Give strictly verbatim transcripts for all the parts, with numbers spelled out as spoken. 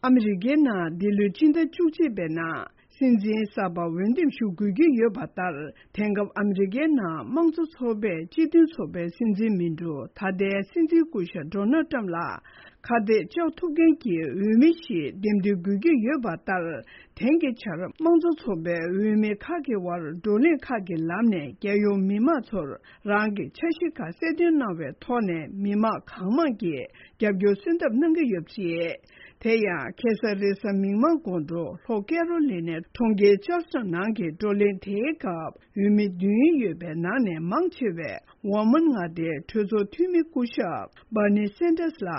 ཨ་མི་རི་ཀའི་ནང་འདི་ལོའི་སྤྱི་ཟླ་བཅུ་གཅིག་པའི་ནང་སྲིད་འཛིན་གསར་པ་འོས་འདེམས་ཞུ་དགོས་ཀྱི་ཡོད་པ་ལྟར། དེང་སྐབས་ཨ་མི་རི་ཀའི་ནང་དམངས་གཙོ་ཚོགས་པའི་སྤྱི་མཐུན་ཚོགས་པའི་སྲིད་འཛིན་མི་འགྲོ་ད་ལྟའི་སྲིད་འཛིན་སྐུ་ཞབས་ཌོ་ནལ་ཊམ་ལ་ཁ་གཏད་གཅོག་ཐུབ་མཁན་གྱི་འོས་མི་ཞིག་འདེམས་ཐོན་དགོས་ཀྱི་ཡོད་པ་ལྟར། དེང་གི་ཆར་དམངས་གཙོ་ཚོགས་པའི་འོས་མི་ཁག་གི་དབར་བགྲོ་གླེང་ཁག་གི་ལམ་ནས་རྒྱལ་ཡོངས་མི་མང་ཚོར་རང་གི་འཆར་གཞི་ཁག་གསལ་སྟོན་གནང་བའི་ཐོག་ནས་མི་མང་གང་མང་གིས་རྒྱབ་སྐྱོར་གསོལ་འདེབས་གནང་གི་ཡོད་པ་རེད། དེ་ཡང་ཁ་སང་རེས་གཟའ་མིག་དམར་དགོང་དྲོ་ལྷོ་ཀེ་རོ་ལི་ནའི་གྲོང་ཁྱེར་ཅར་ཇི་ཊོན་ནང་གི་བགྲོ་གླེང་དེའི་སྐབས་འོས་མི་བདུན་ཡོད་པའི་ནང་ནས་མང་ཆེ་བས་ཝར་མོན་མངའ་སྡེའི་གྲོས་ཚོགས་འཐུས་མི་སྐུ་ཞབས་སྦར་ནི་སན་ཏར་སི་ལ་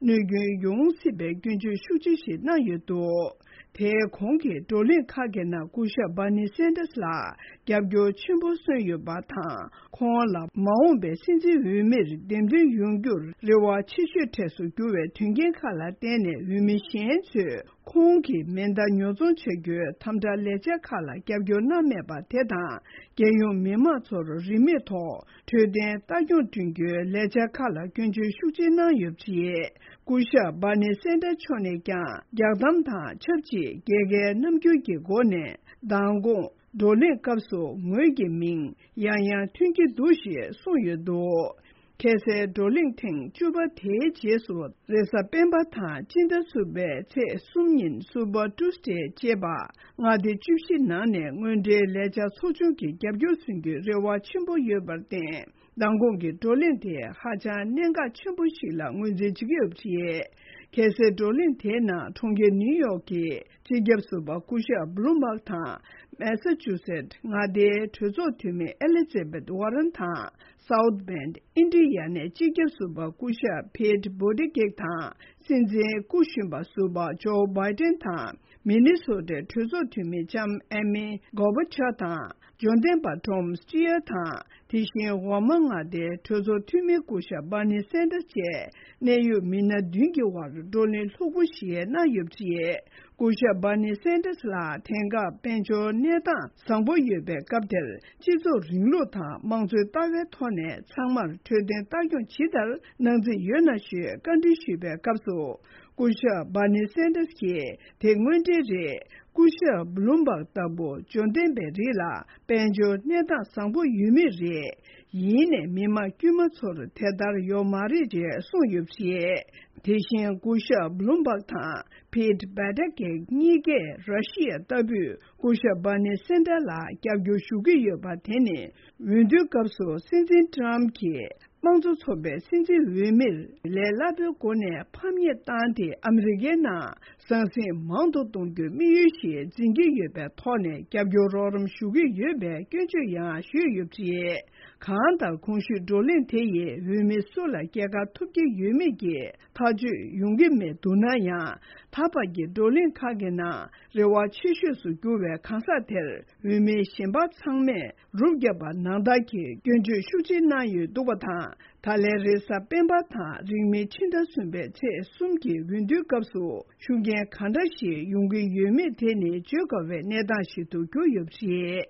གནོད་སྐྱོན་ཡོང་སྲིད་པའི་སྐྱོན་བརྗོད་ཤུགས་ཆེ་ཞིག་གནང་ཡོད་འདུག་དེའི་གོང་གི་བགྲོ་གླེང་ཁག་གི་ནང་སྐུ་ཞབས་སྦར་ནི་སན་ཏར་སི་ལ་རྒྱབ་སྐྱོར་ཆེན་པོ་སོན་ཡོད་པ་དང་། ཁོང་ལ་མ་འོངས་པའི་སྲིད་འཛིན་འོས་མིར་འདེམས་ཐོན་ཡོང་རྒྱུར་རེ་བ་ཆེ་ཤོས་གྲས་སུ་གྱུར་བའི་དོན་རྐྱེན་ཁག་ལ་བརྟེན་ནས་འོས་མི་གཞན་ཚོས་ཁོང་གི་མེ་མདའ་ཉོ་ཚོང་བྱ་རྒྱུའི་དམ་དྲག་ལས་འཆར་ཁག་ལ་རྒྱབ་སྐྱོར་གནང་མེད་པ་དེ་དང་། རྒྱལ་ཡོངས་མི་མང་ཚོར་རིན་མེད་ཐོག་འཕྲོད་བསྟེན་ལྟ་སྐྱོང་བསྐྲུན་རྒྱུའི་ལས་འཆར་ཁག་ལ་སྐྱོན་བརྗོད་ཤུགས་ཆེ་གནང་ཡོད་པ་རེད། སྐུ་ཞབས་སྦར་ནི་སན་ཏར་མཆོག་ནས་ཀྱང་རྒྱག་གཏམ་དང་ཆབས་ཅིག་རྒྱལ་ཁའི་རྣམ་འགྱུར་གྱི་སྒོ་ནས་མདང་དགོང་བགྲོ་གླེང་སྐབས་སུ་ངོས་ཀྱི་མིང་ཡང་ཡང་ཐོན་གྱི་འདུག་ཞེས་གསུངས་ཡོད་འདུག་ཁ་སའི་བགྲོ་གླེང་ཐེངས་བཅུ་པ་དེའི་རྗེས་སུ་རེས་གཟའ་སྤེན་པ་དང་སྤྱི་ཟླ་གསུམ་པའི་ཚེས་གསུམ་ཉིན་སུ་པར་ཊུ་སི་ཌེ་ཅེས་པ་མངའ་སྡེ་བཅུ་བཞི་ནང་ནས་དངོས་འབྲེལ་ལས་འཆར་ཚོགས་ཆུང་གི་རྒྱབ་སྐྱོར་སོན་རྒྱུའི་རེ་བ་ཆེན་པོ་ཡོད་པར་བརྟེན། མདང་དགོང་གི་བགྲོ་གླེང་དེ་ཧ་ཅང་གནད་འགག་ཆེན་པོ་ཞིག་ལ་ངོས་འཛིན་བྱེད་ཀྱི་ཡོད་པ་རེད། གལ་སྲིད་བགྲོ་གླེང་དེའི་ནང་གྲོང་ཁྱེར་ནིའུ་ཡོག་གི་སྤྱི་ཁྱབ་ཟུར་པ་སྐུ་ཞབས་བྷུ་ལུམ་བྷག་དང་། མེ་ས་ཅུ་སེཊ་མངའ་སྡེའི་གྲོས་ཚོགས་འཐུས་མི་ཨེ་ལི་ཛེ་བྷེད་ཝར་རན་དང་། སའུཐ་བྷེན་ཨིན་ཌི་ཡ་ནའི་སྤྱི་ཁྱབ་ཟུར་པ་སྐུ་ཞབས་ཕེཊ་བྷུ་ཏི་ཇེཇ་དང་། སྲིད་འཛིན་སྐུ་གཞོན་པ་ཟུར་པ་ཇོ་བྷའི་ཏན་དང་། མི་ནི་སོ་ཊའི་གྲོས་ཚོགས་འཐུས་མི་ལྕམ་ཨེ་མི་གོ་བྷ་ཆར་དང་། འབྱོར་ལྡན་པ་ཊོམ་སི་ཅི་ཡར་དང་། དེ་བཞིན་འོག་མ་མངའ་སྡེའི་གྲོས་ཚོགས་འཐུས་མི་སྐུ་ཞབས་སྦར་ནི་སན་ཏར་སི་བཅས་གནད་ཡོད་མི་སྣ་བདུན་གྱི་དབར་བགྲོ་གླེང་ལྷུག་པོ་ཞིག་གནང་ཡོད་པ་རེད། སྐུ་ཞབས་སྦར་ནི་སན་ཏར་སི་ལ་དེང་སྐབས་དཔལ་འབྱོར་གནས་སྟངས་བཟང་པོ་ཡོད་པའི་སྐབས་དེར། སྤྱི་ཚོགས་རིང་ལུགས་དང་དམངས་གཙོའི་ལྟ་བའི་ཐོག་ནས་ཚང་མར་འཕྲོད་བསྟེན་ལྟ་སྐྱོང་ཇི་ལྟར་གནང་རྩིས་ཡོད་ན་ཞུས་བཀའ་འདྲི་ཞུས་པའི་སྐབས་སུ། སྐུ་ཞབས་སྦར་ནི་སན་ཏར་སི་གིས་དེ་དངོས་འབྲེལ་རེད། སྐུ་ཞབས་བྷུ་ལུམ་བྷག་ལྟ་བུ་འབྱོར་ལྡན་པའི་རིགས་ལ་དཔལ་འབྱོར་གནས་སྟངས་བཟང་པོ་ཡོད་མུས་རེད། ཡིན་ནའི་མི་དམངས་དཀྱུས་མ་ཚོར་དེ་ལྟར་ཡོད་མ་རེད་ཅེས་གསུངས་ཡོད་པ་རེད། དེ་བཞིན་སྐུ་ཞབས་བྷུ་ལུམ་བྷག་དང་ཕེཊ་བྷུ་ཏི་ཇེཇ་གཉིས་ཀས་ར་ཤི་ཡ་ལྟ་བུས་སྐུ་ཞབས་སྦར་ནི་སན་ཏར་ལ་རྒྱབ་སྐྱོར་ཞུ་གི་ཡོད་པ་དེ་ནི། འོས་བསྡུའི་སྐབས་སུ་སྲིད་འཛིན་ཊམ་གྱིས་དམངས་གཙོ་ཚོགས་པའི་སྲིད་འཛིན་འོས་མིར་ལས་སླ་པོའི་སྒོ་ནས་ཕམ་ཉེས་བཏང་སྟེ། ཨ་མི་རི་ཀའི་ནང་ཟང་ཟིང་མང་དུ་གཏོང་རྒྱུའི་དམིགས་ཡུལ་ཞིག་འཛིན་གྱི་ཡོད་པའི་ཐོག་ནས་རྒྱབ་སྐྱོར་རོགས་རམ་ཞུ་གི་ཡོད་པའི་སྐྱོན་བརྗོད་ཡང་ཞུས་ཡོད་པ་རེད། གང་ལྟར་གོང་ཞུས་བགྲོ་གླེང་དེ་ཡིས་འོས་མི་སུ་ལ་སྐྱེལ་ག་ཐུབ་ཀྱི་ཡོད་མེད་ཀྱི་ཐག་གཅོད་ཡོང་གི་མེད་འདུག་ན་ཡང་། ད་བར་གྱི་བགྲོ་གླེང་ཁག་གི་ནང་རེ་བ་ཆེ་ཤོས་སུ་གྱུར་བའི་གང་ཟག་དེར་འོས་མི་གཞན་པ་ཚང་མས་རུབ་བརྒྱབ་པ་ནང་ལྟར་གྱི་སྐྱོན་བརྗོད་ཤུགས་ཆེ་གནང་ཡོད་འདུག་པ་དང་། ད་ལན་རེས་གཟའ་སྤེན་པ་དང་རིང་མིན་ཕྱི་ཟླ་གསུམ་པའི་ཚེས་གསུམ་གྱི་འོས་བསྡུའི་སྐབས་སུ་ཤུགས་རྐྱེན་གང་འདྲ་ཞིག་ཡོང་གི་ཡོད་མེད་དེ་ནི་བརྗོད་དཀའ་བའི་གནས་སྟངས་ཤིག་ཏུ་གྱུར་ཡོད་པ་རེད།